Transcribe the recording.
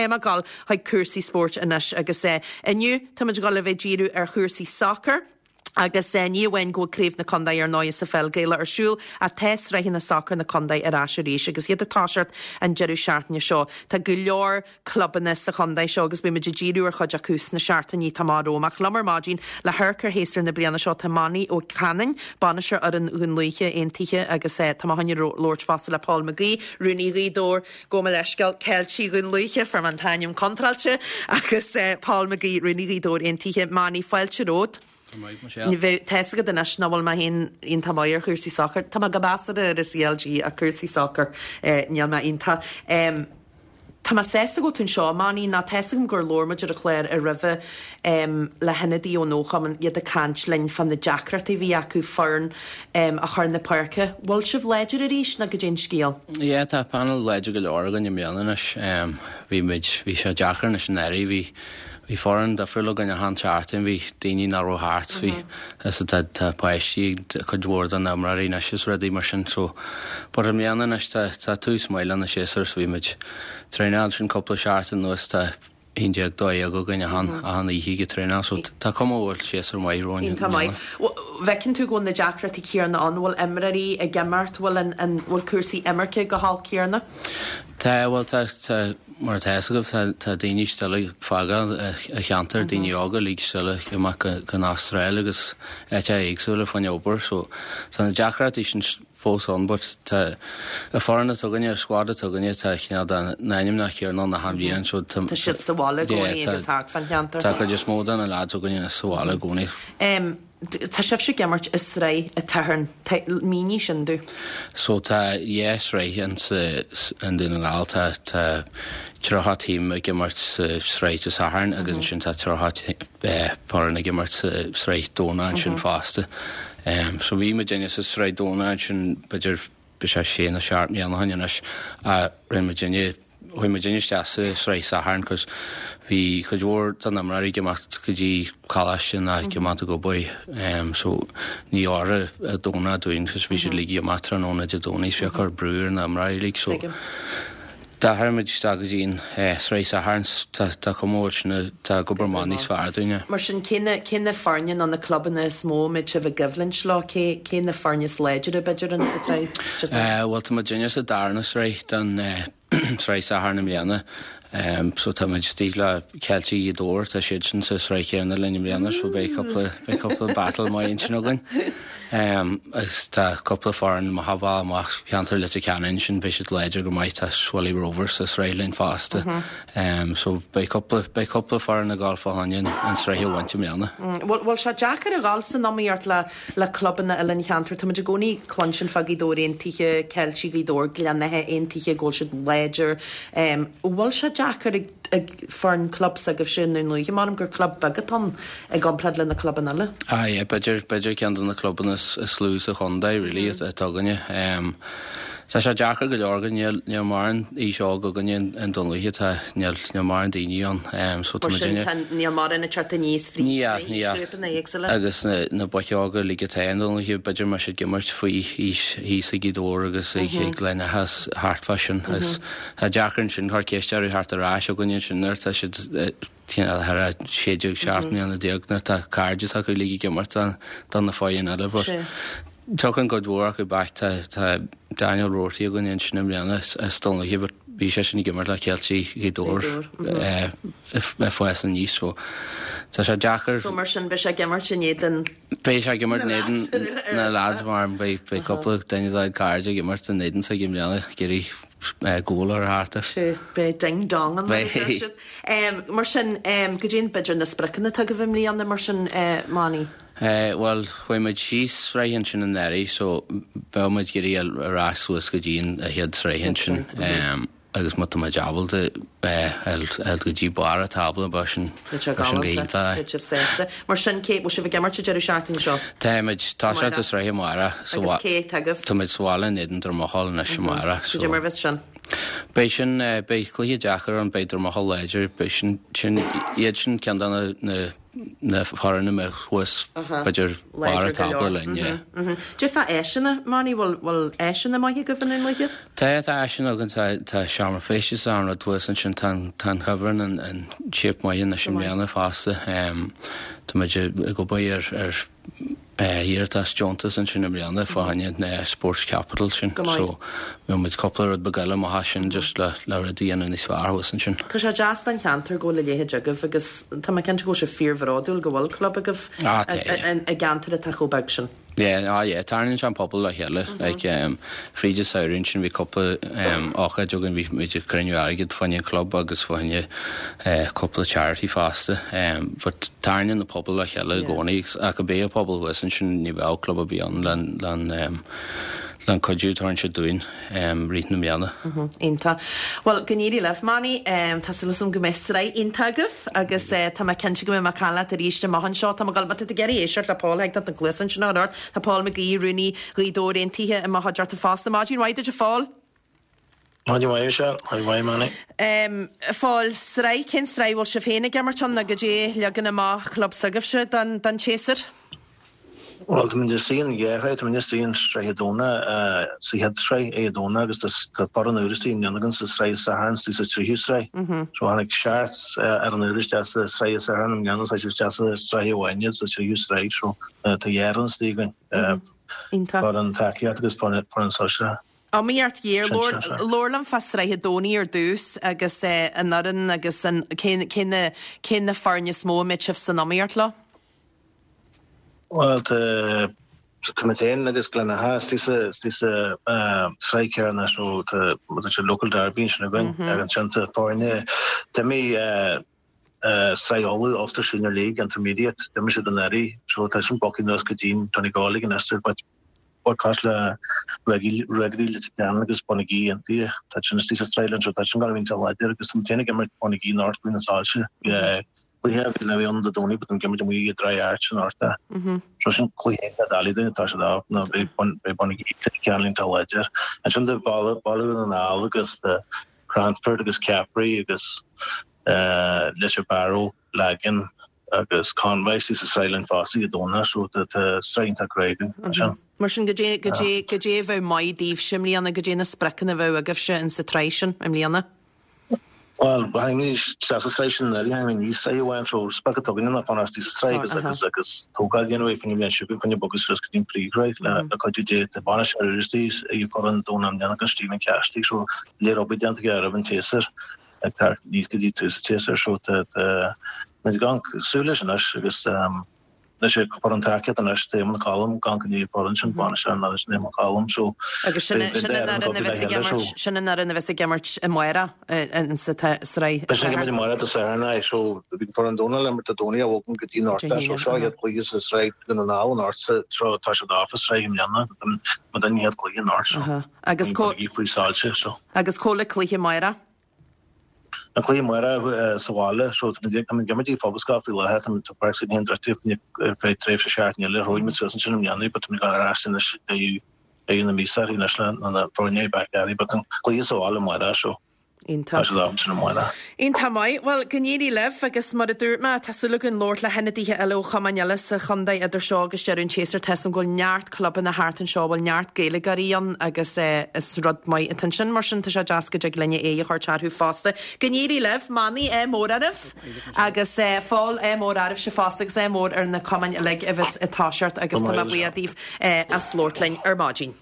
Tá mé ag dul chuig cúrsaí spóirt anois agus inniu táimid ag dul a bheith ag díriú ar chúrsaí sacair. Agus ní amháin go bhfuil Craobh na Condae ar ndóighe sa pheil Gaelach ar siúl ach tá sraitheanna sacair na condae ar ais arís agus iad ag toiseacht an deireadh seachtaine seo. Tá go leor clubanna sa chondae seo agus beidh muid ag díriú ar chuid acu sna seachtainí atá amach romhainn. Ach liom ar maidin le hamharc ar shéasúr na bliana seo tá Monnie Ó Canainn, bainisteoir fhoireann Dhún Lúiche Aontaithe agus tá mé chun labhairt fosta le Paul McGee, Rúnaí Ghaoth Dobhair. Gabh mo leithscéal, Ceiltigh Dhún Lúiche, fuair mé an t-ainm contráilte, agus Paul McGee, Rúnaí Ghaoth Dobhair Aontaithe. Monnie, fáilte romhat. Go raibh maith, Michelle. Bheadh, tá fhios agat anois nach bhfuil mé féin iontach maith ar chúrsaí sacair. Tá mé go measartha ar an CLG ach cúrsaí sacair, níl mé iontach. Tá mé sásta go bhfuil tú anseo, Monnie, nó tá fhios agam gur labhair muid ar an chlár roimhe le hionadaí ón fhochumann, iad ag caint linn fá na deacrachtaí a bhí acu foireann a chur na páirce. Bhfuil sibh láidir arís nó goidé an scéal? Yeah, tá panel láidir go leor againn i mbliana anois. Bhí muid, bhí sé deacair anois anuraidh, bhí, bhí foireann difriúil againn achan seachtain, bhí daoine nach raibh thart, bhí, is tá, tá páistí ag cuid mhór de na imreoirí anois is rudaí mar sin so, but i mbliana anois tá, tá tús maith lena séasúr so bhí muid traenáil sin cúpla seachtain anuas, tá 11, 12 againn achan, achan oíche ag traenáil so tá cuma go bhfuil séasúr maith romhainn i Iontach mbliana. maith. Bhfeiceann tú go bhfuil na deacrachtaí céanna ann, bhfuil imreoirí ag imeacht, bhfuil an, an, bhfuil cúrsaí imirce go holc céanna? Tá, bhuel tá, tá, mar atá fhios agaibh, tá, tá daoine still ag fágáil an cheantair, daoine óga uilig still ag imeacht go, go an Astráil agus áiteacha éagsúla fá choinne obair so tá na deacrachtaí sin fós ann but tá an foireann atá againne, an squad atá againne, tá cineál de na ainmneacha céanna ann achan bhliain so tá Tá siad sa bhaile i gcónaí yeah, agus thart fán cheantar. Tá cuid is mó de na lads againne sa bhaile i gcónaí. Em, tá sibhse ag imirt i sraith an tSathairn, tá, mínigh sin domh. So tá dhá sraith in sa, i nDún na nGall, tá, tá 30 team ag imirt sa sraith Dé Sathairn agus ansin tá 30 foireann ag imirt sa sraith Domhnach ansin fosta. So bhí muidinne sa sraith Domhnach ansin b'fhéidir bhí sé sé nó seacht mbliana ó shin anois ach rinne muidinne, chuaigh muidinne isteach sa sraith Sathairn cos bhí cuid mhór de na imreoirí ag imeacht go dtí coláiste nó ag imeacht ag obair so ní oirfeadh an Domhnach dúinn cos bhí siad uilig ag imeacht tráthnóna Dé Domhnaigh so bhí ag cur brú ar na imreoirí uilig so D'athraigh muid isteach go dtí an sraith Sathairn. Tá cuma go bhfuil sin, tá ag obair amach níos fearr dúinne. Mar sin, cé na, cé na foirne nó na clubanna is mó a mbeidh sibh i gcoimhlint leo? Cé, cé na foirne is láidre, b'fhéidir, in sa tsraith? Just. Bhuel, tá muidinne sa darna sraith den sraith Sathairn i mbliana. So tá muid istigh le Ceiltigh Ghaoth Dobhair, tá siadsan sa sraith chéanna linn i mbliana so beidh cúpla, beidh cúpla battle maith ansin againn. Agus tá cúpla foireann amach as baile amach cheantar Leitir Ceanainn ansin, beidh siad láidir go maith, tá Swilly Rovers sa sraith linn fosta. So beidh cúpla, beidh cúpla foireann ag dul fá choinne an sraith a bhaint i mbliana. Bhfuil, bhfuil sé deacair a dhul san iomaíocht le, le clubanna eile an cheantair? Tá muid i gcónaí ag cluinstin fá Ghaoth Dobhair Aontaithe, Ceiltigh Ghaoth Dobhair, Gleann Átha Aontaithe, go bhfuil siad láidir. An bhfuil sé deacair ag ag foireann club s'agaibhse i nDún Lúiche? Measaim gur club beag atá ann i gcomparáid le na clubanna eile. Ah yeah, b'fhéidir, b'fhéidir ceann de na clubanna is lú sa chontae really atá againne. Tá sé deacair go leor againn, níl, níl mórán aois óg againne i nDún Lúiche, tá, níl, níl mórán daoine ann. So tá Mar sin, muidinne. tá, níl mórán ag teacht aníos fríd Ní na ea, ní ea. haoisghrúpanna éagsúla. Agus na, na boic óga uilig atá i nDún Lúiche, b'fhéidir mbeadh siad ag imirt faoi aois thíos ag Gaoth Dobhair agus ag, ag Gleann Átha is thart fá sin. Agus tá deacair ansin cur ceist orthu theacht ar ais chugainne ansin nuair atá siad thar a 16, 17 mbliana nuair atá cairde s'acu uilig ag imirt do na foireann eile. But tiocfaidh cuid mhór acu back. Tá tá Daniel Roarty againn ansin i mbliana as Dún Lúiche but bhí seisean ag imirt le Ceiltigh Ghaoth Dobhair ag fás aníos so tá sé deacair. So mar sin beidh sé ag imirt in éadan Beidh sé ag imirt in éadan na lads mar beidh beidh cúpla duine dá chairde ag imirt in éadan s'aige i mbliana ag iarraidh góil a chur thart air. Sea, beidh ding dong ann mar a deir siad. Mar sin, goidé b'fhéidir na spriocanna atá agaibh i mbliana mar sin, Monnie? Bhuel, chuaigh muid síos sraith ansin anuraidh so bheadh muid ag iarraidh dul ar ais suas go dtí an chéad sraith ansin. Agus má tá muid ábalta a ghoil go dtí barr an tábla, bheadh sin Beidh sé bheadh sin go galánta. hiontach. Beidh sibh sásta. Mar sin, cé, bhfuil sibh ag imirt an deireadh seachtaine seo? Táimid, toiseacht an sraith amárach. Agus cé atá agaibh? Tá muid sa bhaile in éadan Drumacheoil anois amárach. Goidé mar a bheas sin? Beidh sin, beidh cluiche deacair ann, beidh Drumahill láidir, beidh sin, sin, iad sin ceann de na, na, na foirne a mbeadh thuas, b'fhéidir, barr an tábla linn, yeah. Cad é fá áiseanna, Manny, bhfuil, bhfuil áiseanna maithe agaibh i nDún Lúiche? Tá, tá áiseanna againn, tá, tá seomra feistis is an rud thuas ansin, tá an, tá an chuibhreann in, in shape maith anois i mbliana fosta. Tá muid ag obair ar, ar, iarratas deontas ansin i mbliana fá choinne na Sports Capital sin so bhí muid cúpla rud beag eile amach as sin just le le rud a dhéanamh níos fearr thuas ansin. Tá sé deas don cheantar go bhfuil a leithéid agaibh agus tá mé cinnte go bhfuil sibh fíorbhródúil go bhfuil club agaibh i gceantar atá chomh beag sin. Yeah, ah yeah, tarraingíonn sé an pobal le chéile. Like, fríd an samhradh ansin bhí cúpla ócáid againn, bhí muid ag cruinniú airgid fá choinne an club agus fá choinne cúpla charity fosta. But tarraingíonn an pobal le chéile i gcónaí ach ach bheadh an pobal thuas ansin ní bheadh club ar bith ann le le an cuidiú a tugann siad dúinn rith na mbliana. Iontach. Bhuel, go n-éirí libh, Manny. Tá súil agam go mbeidh sraith iontach agaibh agus tá mé cinnte go mbeidh mé ag caint leat arís amach anseo. Tá mé ag dul, má tá tú ag iarraidh éisteacht le Paul, thig leat na cluasa ansin a chur ort. Tá Paul Mac Aoidh, Rúnaí Ghaoth Dobhair Aontaithe i mo chuideachta fosta. Maidin mhaith duit, a Phóil. Maidin mhaith, Michelle. Maidin mhaith, Manny. A Phóil, sraith, cén sraith a bhfuil sibh féin ag imirt ann nó goidé leagan amach chlub s'agaibhse don tséasúr? Bhuel, tá muid istigh in dhá shraith, tá muid istigh in Sraith Dé Domhnaigh, sa chéad sraith Dé Domhnaigh agus tá foireann úr istigh i mbliana againn sa Sraith Sathairn istigh sa tríú sraith. So tháinig seacht fhoireann úr isteach sa Sraith Sathairn i mbliana, tá siad isteach sa sraith amháin sa tríú sraith, so tá dhá fhoireann istigh againn, foireann tacaíochta agus foireann sóisearach. Iomaíocht ghéar. Labhair liom fá Sraith an Domhnaigh ar dtús agus an fhoireann agus an, cé, cé na, cé na foirne is mó a mbeidh sibh san iomaíocht leo? Bhuel, tá, tá muid féin agus Gleann Átha istigh sa, istigh sa sraith chéanna so tá, tá sé local derby ansin againn agus ansin tá foirne, d'imigh Sraith Uladh, Ulster Senior League Intermediate, d'imigh siad anuraidh so tá sin bogtha anuas go dtí Donegal ag an Ulster but but cosúil le Ruagairí Leitir Ceanainn agus Bonagee Aontaithe tá sin istigh sa sraith linn so tá sin gonna be iontach láidir agus tá muid féin ag imirt Bonagee North faoi na soilse cluiche a bhí le bheith ann Dé Domhnaigh but tá muid ag imirt amuigh i Dry Arch anocht so sin cluiche iontach doiligh dúinn atá siad off nó beidh Bonagee Leitir Ceanainn iontach láidir ansin tá Baile Dhún na nGall agus Cranford agus Cappry agus Leitir Bearó, Lagan agus Convoy istigh sa sraith linn fosta Dé Domhnaigh so tá sraith iontach crua againn ansin. Mar sin, goidé, goidé, goidé a bheadh maith daoibhse i mbliana, goidé na spriocanna a bheadh agaibhse in sa tsraith sin i mbliana? Bhuel, tháinig muid isteach sa sraith sin anuraidh, tháinig muid aníos sraith amháin so sprioc atá againne ná fanacht istigh sa sraith agus agus agus tógáil a dhéanamh ar fá choinne an bhliain seo chugainn, fá choinne bogadh suas go dtí an phríomhshraith le le cuidiú Dé. Tá bainisteoir úr istigh ag foireann Domhnach i mbliana agus Stephen Cassidy so léir obair déanta aige roimh an tséasúr. ag teacht aníos go dtí tús an tséasúir so tá muid ag amharc súil leis anois agus anois ag foireann tacaíochta anois tá Éamonn Collum ag amharc i ndiaidh an foireann sin bainisteoir an fhoireann sin Éamonn Collum so Agus sin sin an fhoireann a bheas ag imirt sin an fhoireann a bheas ag imirt amárach insa tsraith Beidh siad ag imirt amárach Dé Sathairn aye so bhí an foireann Domhnach le imirt Dé Domhnaigh a bhogann go dtí anocht so seo an chéad cluiche sa sraith Dhún na nGall anocht so tá siad off an sraith i mbliana muid an chéad cluiche anocht so. Agus cá faoi soilse so. Agus cá bhfuil an cluiche amárach? An cluiche amárach sa bhaile so tá muid ag imirt i Phobalscoil faoi láthair tá tá páirc s'againn féin druidte ar feadh tréimhse seachtain eile thóg muid suas ansin i mbliana but tá muid ag dul ar ais anois ag deireadh na míosa anois le na foirne back at it but an cluiche sa bhaile amárach so. Iontach. Iontach maith. Bhuel, go n-éirí libh agus mar a dúirt mé, tá súil againn labhairt le hionadaithe eile ó chumainn eile sa chontae idir seo agus deireadh an tséasúir. Tá 'fhios a'm go bhfuil neart clubanna thart anseo a bhfuil neart Gaeilgeoirí ann agus is rud maith atá ansin. Mar sin, tá sé deas go dtig linne aghaidh a thabhairt orthu fosta. Go n-éirí libh. Manny, ádh mór oraibh agus Phóil, ádh mór oraibhse fosta agus ádh mór ar na cumainn uilig a bheas ag toiseacht agus tá mé buíoch daoibh as labhairt linn ar maidin.